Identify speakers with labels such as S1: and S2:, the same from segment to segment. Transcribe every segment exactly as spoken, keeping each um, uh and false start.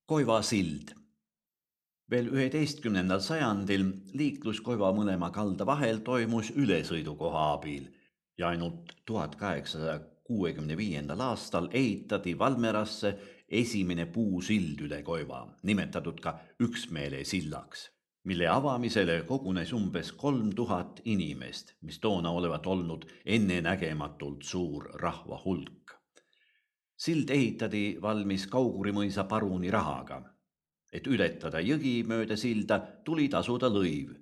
S1: Koiva sild. Veel üheteistkümnendal sajandil liiklus Koiva mõlema kalda vahel toimus ülesõidukoha abil ja ainult tuhat kaheksasaja kuuekümne viiendal aastal ehitati Valmerasse esimene puusild üle Koiva, nimetatud ka Üksmeele sillaks, mille avamisele kogunes umbes kolm tuhat inimest, mis toona olevat olnud ennenägematult suur rahva hulk. Sild ehitati valmis Kauguri mõisa paruni rahaga. Et ületada jõgi mööda silda, tuli tasuda lõiv.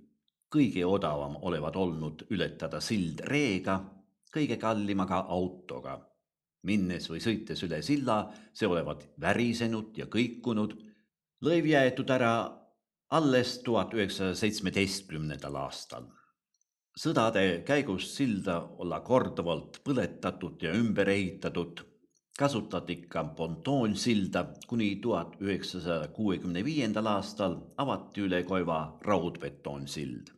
S1: Kõige odavam olevat olnud ületada sild reega, kõige kallimaga autoga. Minnes või sõites üle silla, see olevat värisenud ja kõikunud. Lõiv jäetud ära alles tuhat üheksasaja seitsmeteistkümnendal aastal. Sõdade käigus silda olla korduvalt põletatud ja ümber ehitatud. Kasutati ka pontoonsilda, kuni tuhat üheksasaja kuuekümne viiendal aastal avati üle Koiva raudbetoonsild.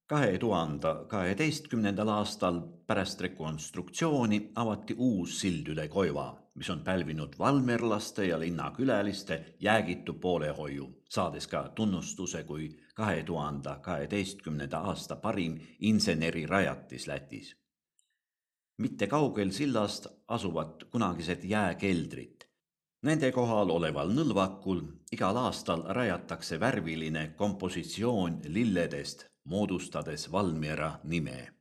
S1: kahe tuhande kaheteistkümnendal aastal pärast rekonstruktsiooni avati uus sild üle Koiva, mis on pälvinud valmerlaste ja linnakülaliste jäägitu poolehoiu, saades ka tunnustuse kui kahe tuhande kaheteistkümnenda aasta parim insenerirajatis Lätis. Mitte kaugel sillast asuvad kunagised jääkeldrid. Nende kohal oleval nõlvakul igal aastal rajatakse värviline kompositsioon lilledest, moodustades Valmiera nime.